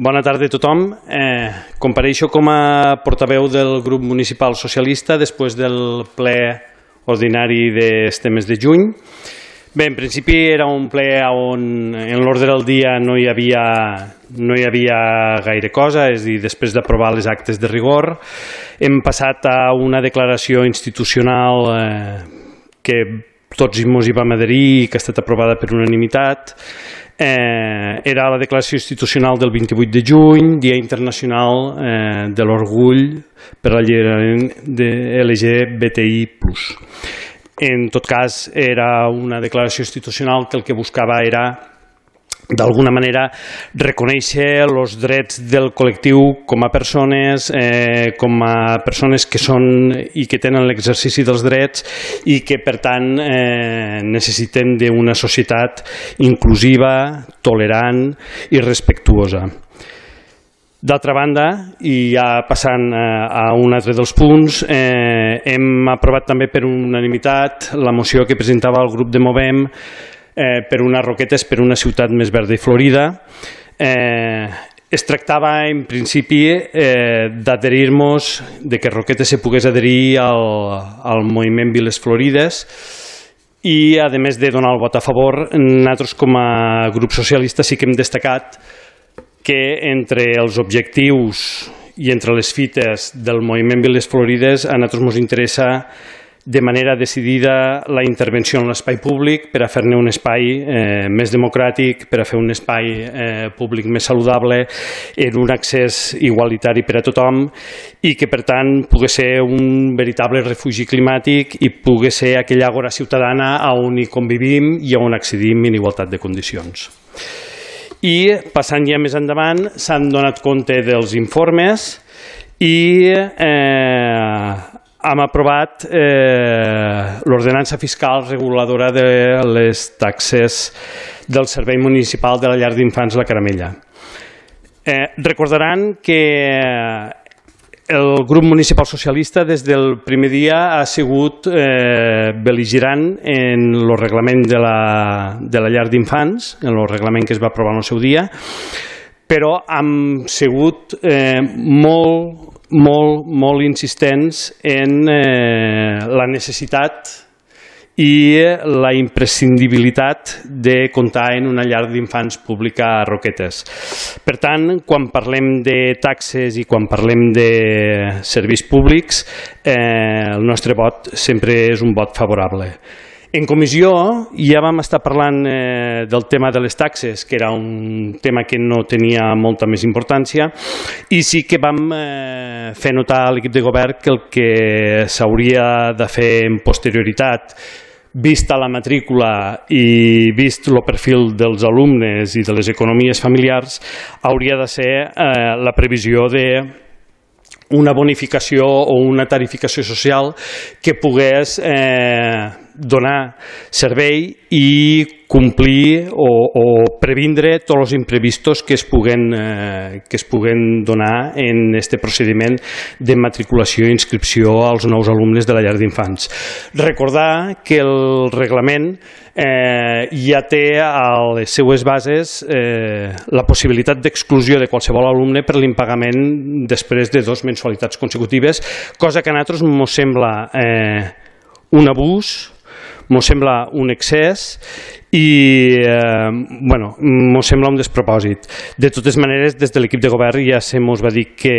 Bona tarda a tothom. Compareixo com a portaveu del grup municipal socialista després del ple ordinari d'este mes de juny. Bé, en principi era un ple on en l'ordre del dia no hi havia gaire cosa, és a dir, després d'aprovar les actes de rigor, hem passat a una declaració institucional que tots ens hi vam adherir i que ha estat aprovada per unanimitat. Era la declaració institucional del 28 de juny, Dia Internacional de l'Orgull per l'Alliberament de LGBTI+. En tot cas, era una declaració institucional que el que buscava era, d'alguna manera, reconèixer els drets del col·lectiu com a persones que són i que tenen l'exercici dels drets i que, per tant, necessiten d'una societat inclusiva, tolerant i respectuosa. D'altra banda, i ja passant a un altre dels punts, hem aprovat també per unanimitat la moció que presentava el grup de Movem per unes roquetes per una ciutat més verda i florida. Es tractava, en principi, d'adherir-nos, que Roquetes se pogués adherir al moviment Viles Florides i, a més de donar el vot a favor, nosaltres com a grup socialista sí que hem destacat que entre els objectius i entre les fites del moviment Viles Florides a nosaltres ens interessa de manera decidida la intervenció en l'espai públic per a fer-ne un espai més democràtic, per a fer un espai públic més saludable, en un accés igualitari per a tothom i que, per tant, pugui ser un veritable refugi climàtic i pugui ser aquella àgora ciutadana on hi convivim i on accedim en igualtat de condicions. I, passant ja més endavant, s'han donat compte dels informes i hem aprovat l'ordenança fiscal reguladora de les taxes del Servei Municipal de la Llar d'Infants La Caramella. Recordaran que el grup municipal socialista des del primer dia ha sigut bel·ligerant en el reglament de la llar d'infants, en el reglament que es va aprovar en el seu dia, però hem sigut molt insistents en la necessitat i la imprescindibilitat de comptar en una llar d'infants pública a Roquetes. Per tant, quan parlem de taxes i quan parlem de serveis públics, el nostre vot sempre és un vot favorable. En comissió ja vam estar parlant del tema de les taxes, que era un tema que no tenia molta més importància, i sí que vam fer notar a l'equip de govern que el que s'hauria de fer en posterioritat, vista la matrícula i vist el perfil dels alumnes i de les economies familiars, hauria de ser la previsió d'una bonificació o una tarificació social que pogués donar servei i complir o previndre tots els imprevistos que es puguen donar en aquest procediment de matriculació i inscripció als nous alumnes de la llar d'infants. Recordar que el reglament ja té a les seues bases la possibilitat d'exclusió de qualsevol alumne per l'impagament després de 2 mensualitats consecutives, cosa que a nosaltres ens sembla un abús, ens sembla un excés i ens sembla un despropòsit. De totes maneres, des de l'equip de govern ja se'ns va dir que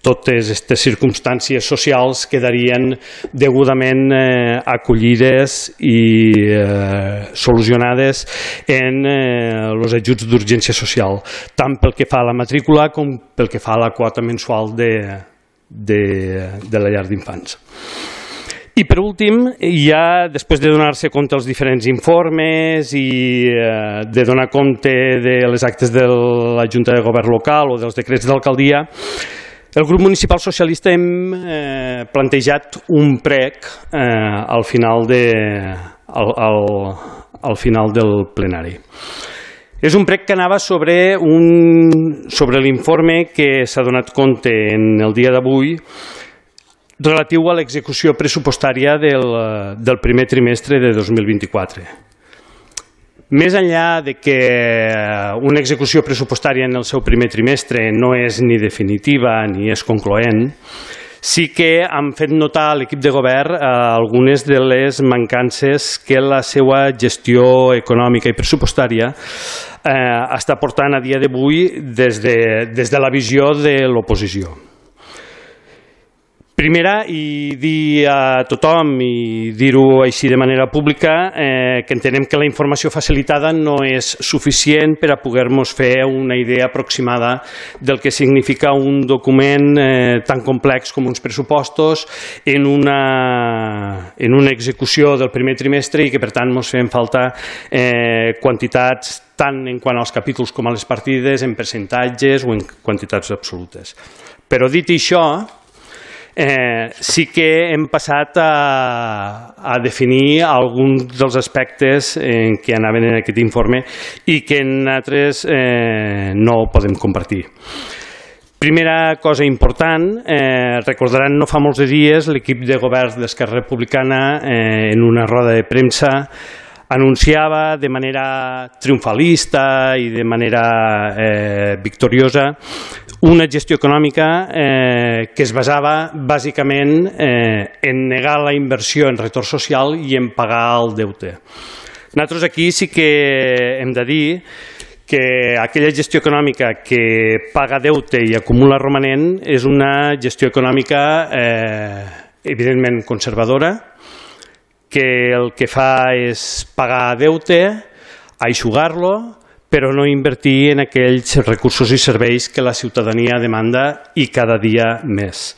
totes aquestes circumstàncies socials quedarien degudament acollides i solucionades en els ajuts d'urgència social, tant pel que fa a la matrícula com pel que fa a la quota mensual de la llar d'infants. I per últim, ja després de donar-se compte dels diferents informes i de donar compte de les actes de la Junta de Govern local o dels decrets d'alcaldia, el grup municipal socialista hem plantejat un prec al final del plenari. És un prec que anava sobre l'informe que s'ha donat compte en el dia d'avui relatiu a l'execució pressupostària del primer trimestre de 2024. Més enllà de que una execució pressupostària en el seu primer trimestre no és ni definitiva ni és concloent, sí que han fet notar a l'equip de govern algunes de les mancances que la seva gestió econòmica i pressupostària està portant a dia d'avui des de la visió de l'oposició. Primera, i dir a tothom i dir-ho així de manera pública, que entenem que la informació facilitada no és suficient per a poder-nos fer una idea aproximada del que significa un document tan complex com uns pressupostos en una execució del primer trimestre i que per tant ens feien falta quantitats tant en quant als capítols com a les partides, en percentatges o en quantitats absolutes. Però dit això, sí que hem passat a definir alguns dels aspectes que anaven en aquest informe i que nosaltres no podem compartir. Primera cosa important, recordaran no fa molts dies l'equip de govern d'Esquerra Republicana en una roda de premsa anunciava de manera triomfalista i de manera victoriosa una gestió econòmica que es basava bàsicament en negar la inversió en retorn social i en pagar el deute. Nosaltres aquí sí que hem de dir que aquella gestió econòmica que paga deute i acumula romanent és una gestió econòmica evidentment conservadora, que el que fa és pagar deute, eixugar-lo, però no invertir en aquells recursos i serveis que la ciutadania demanda i cada dia més.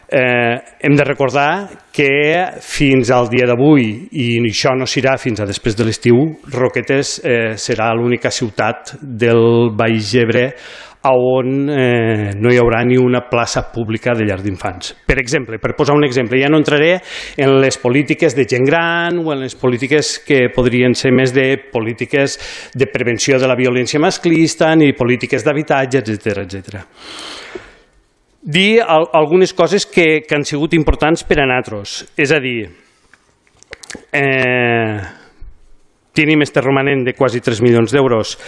Hem de recordar que fins al dia d'avui, i això no serà fins a després de l'estiu, Roquetes serà l'única ciutat del Baix Ebre on no hi haurà ni una plaça pública de llar d'infants. Per exemple, per posar un exemple, ja no entraré en les polítiques de gent gran o en les polítiques que podrien ser més de polítiques de prevenció de la violència masclista ni polítiques d'habitatge, etc. Dir algunes coses que han sigut importants per a nosaltres, és a dir, tenim este romanent de quasi 3 milions d'euros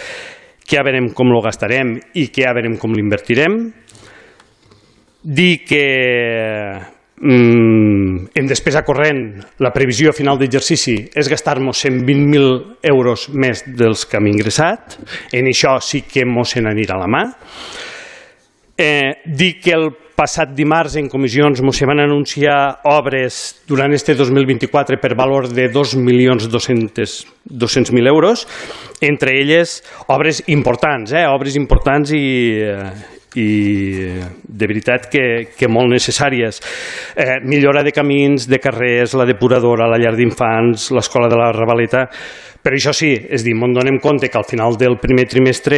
que ja veurem com lo gastarem i que ja veurem com l'invertirem. Dir que en despesa corrent la previsió a final d'exercici és gastar-nos 120.000 euros més dels que hem ingressat. En això sí que mos se n'anirà la mà. Dir que el passat dimarts en comissions ens van anunciar obres durant este 2024 per valor de 2.200.000 euros, entre elles obres importants i de veritat que molt necessàries. Millora de camins, de carrers, la depuradora, la llar d'infants, l'escola de la Ravaleta. Però això sí, és dir, ens donem compte que al final del primer trimestre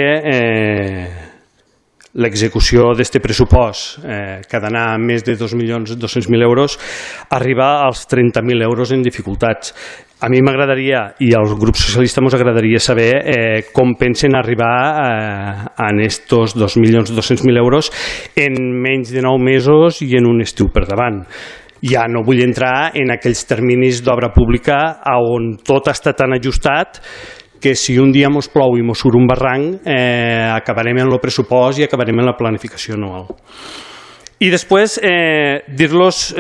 l'execució d'aquest pressupost, que ha d'anar a més de 2.200.000 euros, arriba als 30.000 euros en dificultats. A mi m'agradaria, i al grup socialista ens agradaria saber com pensen arribar a aquests 2.200.000 euros en menys de 9 mesos i en un estiu per davant. Ja no vull entrar en aquells terminis d'obra pública on tot està tan ajustat que si un dia mos plou i mos surt un barranc, acabarem en el pressupost i acabarem en la planificació anual. I després dir-los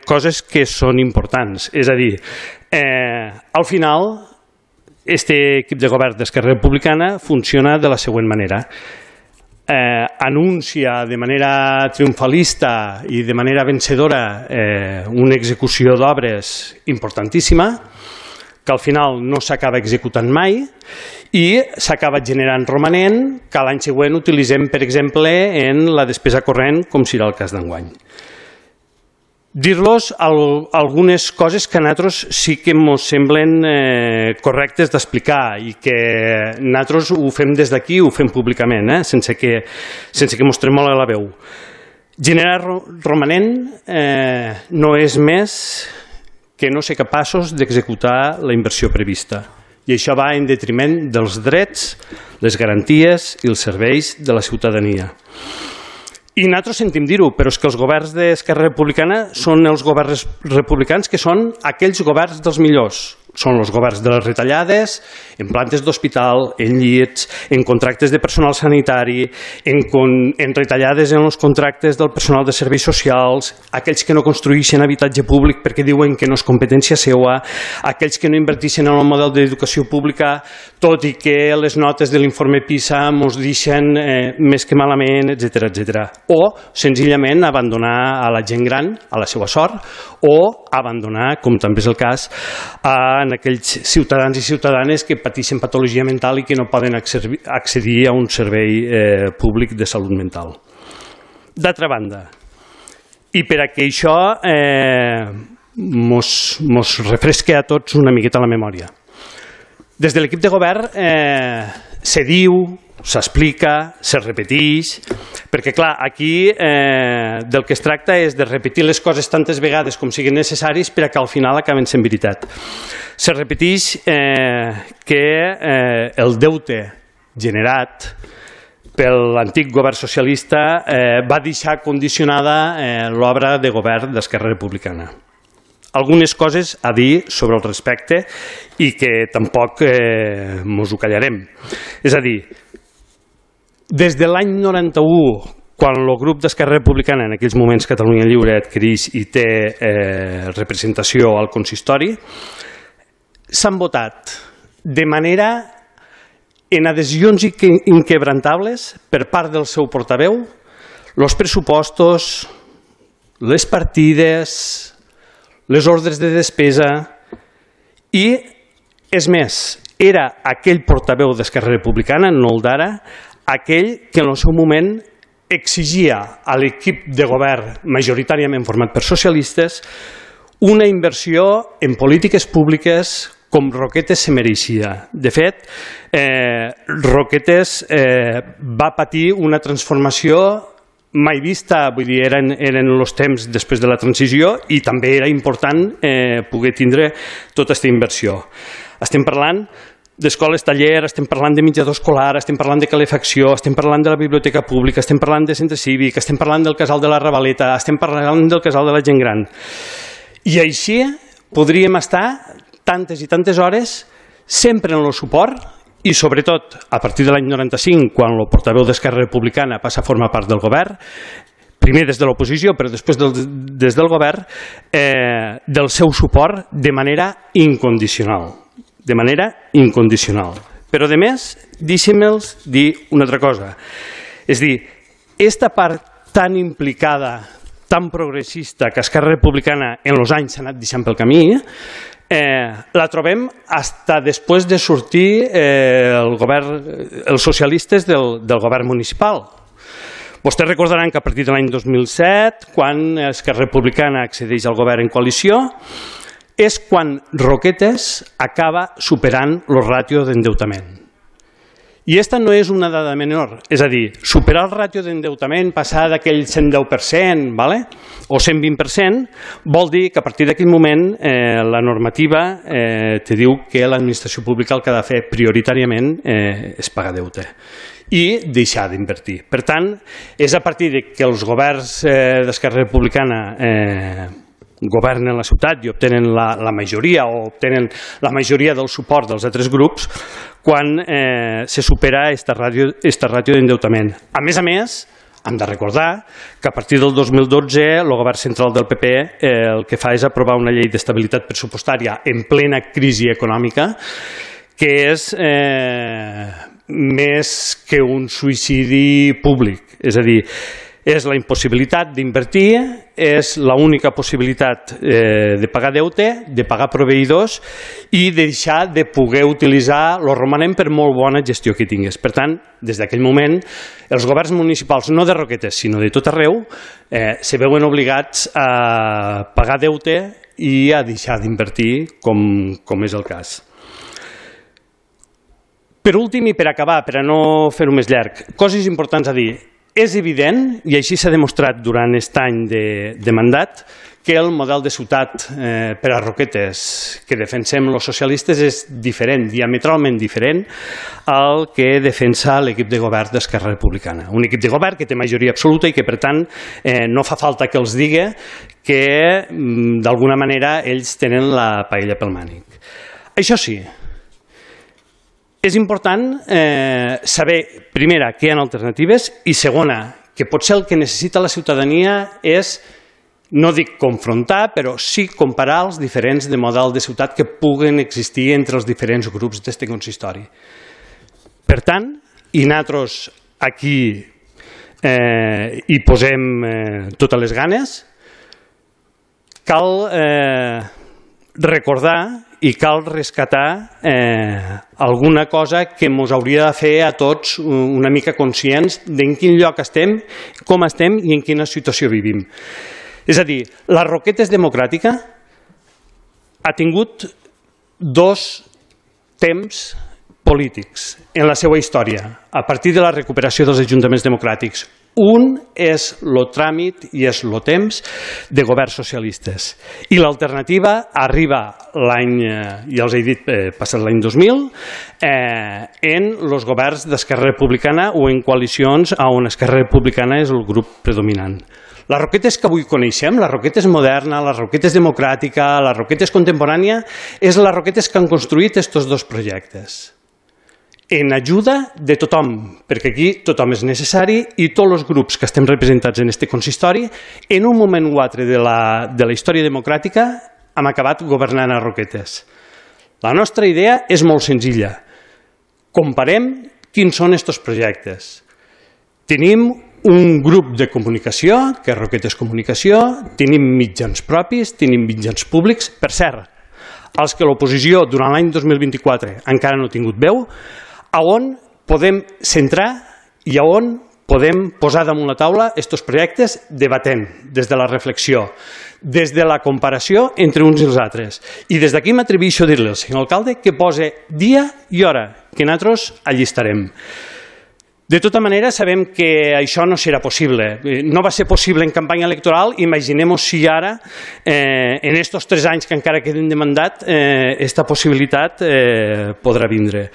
coses que són importants. És a dir, al final, aquest equip de govern d'Esquerra Republicana funciona de la següent manera. Anuncia de manera triomfalista i de manera vencedora una execució d'obres importantíssima, que al final no s'acaba executant mai i s'acaba generant romanent que l'any següent utilitzem, per exemple, en la despesa corrent, com serà el cas d'enguany. Dir-los algunes coses que a nosaltres sí que ens semblen correctes d'explicar i que nosaltres ho fem des d'aquí, ho fem públicament, sense que ens tremole la veu. Generar romanent no és més que no ser capaços d'executar la inversió prevista. I això va en detriment dels drets, les garanties i els serveis de la ciutadania. I nosaltres sentim dir-ho, però és que els governs d'Esquerra Republicana són els governs republicans que són aquells governs dels millors, són els governs de les retallades, en plantes d'hospital, en llits, en contractes de personal sanitari, en retallades en els contractes del personal de serveis socials, aquells que no construeixen habitatge públic perquè diuen que no és competència seva, aquells que no inverteixen en el model d'educació pública, tot i que les notes de l'informe PISA ens deixen més que malament, etc. O, senzillament, abandonar a la gent gran a la seva sort, o abandonar, com també és el cas, en aquells ciutadans i ciutadanes que pateixen patologia mental i que no poden accedir a un servei públic de salut mental. D'altra banda, i per a que això ens refresqui a tots una miqueta la memòria, des de l'equip de govern se diu, s'explica, se repeteix, perquè clar, aquí del que es tracta és de repetir les coses tantes vegades com siguin necessaris per a que al final acaben sent veritat. Se repeteix que el deute generat per l'antic govern socialista va deixar condicionada l'obra de govern d'Esquerra Republicana. Algunes coses a dir sobre el respecte i que tampoc mos ho callarem. És a dir, des de l'any 91, quan el grup d'Esquerra Republicana, en aquells moments Catalunya Lliure, adquireix i té representació al consistori, s'han votat de manera en adhesions inquebrantables per part del seu portaveu els pressupostos, les partides, les ordres de despesa i, és més, era aquell portaveu d'Esquerra Republicana, no el d'ara, aquell que en el seu moment exigia a l'equip de govern majoritàriament format per socialistes una inversió en polítiques públiques com Roquetes se mereixia. De fet, Roquetes va patir una transformació mai vista, vull dir, eren els temps després de la transició i també era important poder tindre tota aquesta inversió. Estem parlant d'escoles taller, estem parlant de menjador escolar, estem parlant de calefacció, estem parlant de la biblioteca pública, estem parlant de centre cívic, estem parlant del casal de la Ravaleta, estem parlant del casal de la gent gran. I així podríem estar tantes i tantes hores sempre en el suport i sobretot a partir de l'any 95, quan el portaveu d'Esquerra Republicana passa a formar part del govern, primer des de l'oposició però després des del govern, del seu suport de manera incondicional. De manera incondicional. Però, a més, deixi'm-los dir una altra cosa. És a dir, aquesta part tan implicada, tan progressista que Esquerra Republicana en els anys s'ha anat deixant pel camí, la trobem fins després de sortir els socialistes del govern municipal. Vostès recordaran que a partir de l'any 2007, quan Esquerra Republicana accedeix al govern en coalició, és quan Roquetes acaba superant el ràtio d'endeutament. I aquesta no és una dada menor, és a dir, superar el ràtio d'endeutament, passar d'aquell 110% o 120%, vol dir que a partir d'aquell moment la normativa te diu que l'administració pública el que ha de fer prioritàriament és pagar deute i deixar d'invertir. Per tant, és a partir que els governs d'Esquerra Republicana governen la ciutat i obtenen la majoria o obtenen la majoria del suport dels altres grups quan se supera aquesta ràtio d'endeutament. A més, hem de recordar que a partir del 2012 el govern central del PP el que fa és aprovar una llei d'estabilitat pressupostària en plena crisi econòmica que és més que un suïcidi públic. És a dir, és la impossibilitat d'invertir, és l'única possibilitat de pagar deute, de pagar proveïdors i deixar de poder utilitzar el romanent per molt bona gestió que tingués. Per tant, des d'aquell moment, els governs municipals, no de Roquetes, sinó de tot arreu, se veuen obligats a pagar deute i a deixar d'invertir, com és el cas. Per últim i per acabar, per a no fer-ho més llarg, coses importants a dir. És evident, i així s'ha demostrat durant aquest any de mandat, que el model de ciutat per a Roquetes que defensem els socialistes és diferent, diametralment diferent al que defensa l'equip de govern d'Esquerra Republicana. Un equip de govern que té majoria absoluta i que, per tant, no fa falta que els digui que, d'alguna manera, ells tenen la paella pel mànic. Això sí, és important saber, primera, que hi ha alternatives i segona, que potser el que necessita la ciutadania és, no dic confrontar, però sí comparar els diferents de model de ciutat que puguen existir entre els diferents grups d'aquest consistori. Per tant, i nosaltres aquí hi posem totes les ganes, cal recordar i cal rescatar alguna cosa que ens hauria de fer a tots una mica conscients d'en quin lloc estem, com estem i en quina situació vivim. És a dir, la Roquetes Democràtica ha tingut dos temps polítics en la seva història, a partir de la recuperació dels ajuntaments democràtics. Un és el tràmit i és el temps de governs socialistes. I l'alternativa arriba l'any, ja els he dit, passat l'any 2000, en els governs d'Esquerra Republicana o en coalicions on Esquerra Republicana és el grup predominant. La Roquetes que avui coneixem, la Roquetes moderna, la Roquetes democràtica, la Roquetes contemporània, és la Roquetes que han construït aquests dos projectes. En ajuda de tothom, perquè aquí tothom és necessari i tots els grups que estem representats en aquest consistori, en un moment o altre de la història democràtica, hem acabat governant a Roquetes. La nostra idea és molt senzilla. Comparem quins són aquests projectes. Tenim un grup de comunicació, que és Roquetes Comunicació, tenim mitjans propis, tenim mitjans públics, per cert, els que l'oposició durant l'any 2024 encara no ha tingut veu, on podem centrar i on podem posar damunt la taula aquests projectes debatent des de la reflexió, des de la comparació entre uns i els altres. I des d'aquí m'atreveixo a dir-li al senyor alcalde que posi dia i hora, que nosaltres allí estarem. De tota manera, sabem que això no serà possible. No va ser possible en campanya electoral, imaginem-nos si ara, en aquests 3 anys que encara queden de mandat, aquesta possibilitat podrà vindre.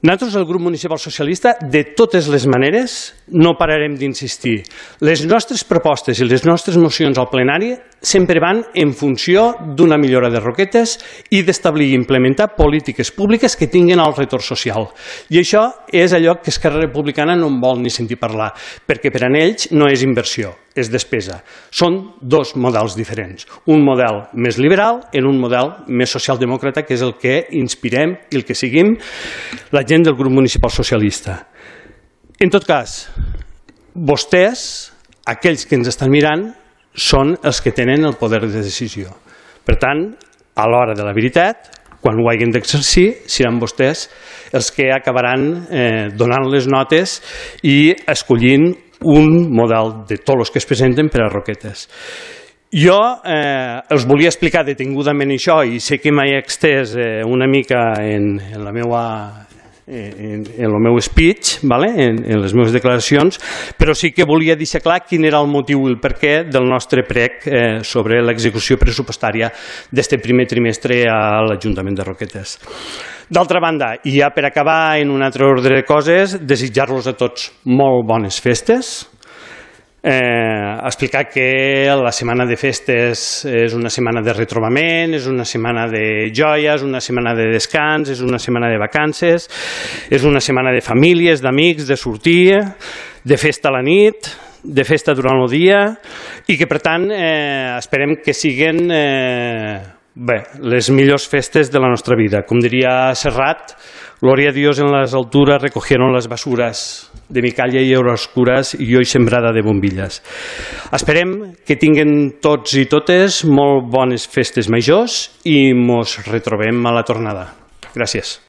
Nosaltres, el grup municipal socialista, de totes les maneres, no pararem d'insistir. Les nostres propostes i les nostres mocions al plenari sempre van en funció d'una millora de Roquetes i d'establir i implementar polítiques públiques que tinguin el retorn social. I això és allò que Esquerra Republicana no en vol ni sentir parlar, perquè per a ells no és inversió, és despesa. Són dos models diferents. Un model més liberal en un model més socialdemòcrata, que és el que inspirem i el que seguim la gent del grup municipal socialista. En tot cas, vostès, aquells que ens estan mirant, són els que tenen el poder de decisió. Per tant, a l'hora de la veritat, quan ho hagin d'exercir, seran vostès els que acabaran donant les notes i escollint un model de tots els que es presenten per a Roquetes. Jo els volia explicar detingudament això i sé que m'he extès una mica en el meu speech, en les meves declaracions, però sí que volia deixar clar quin era el motiu i el perquè del nostre prec sobre l'execució pressupostària d'aquest primer trimestre a l'Ajuntament de Roquetes. D'altra banda, i ja per acabar en un altre ordre de coses, desitjar-los a tots molt bones festes, explicar que la setmana de festes és una setmana de retrobament, és una setmana de joia, és una setmana de descans, és una setmana de vacances, és una setmana de famílies, d'amics, de sortir, de festa a la nit, de festa durant el dia i que per tant esperem que siguin les millors festes de la nostra vida. Com diria Serrat, gloria a Dios en las alturas recogieron las basuras de mi calle y oscuras y hoy sembrada de bombillas. Esperem que tinguin tots i totes molt bones festes majors i mos retrobem a la tornada. Gràcies.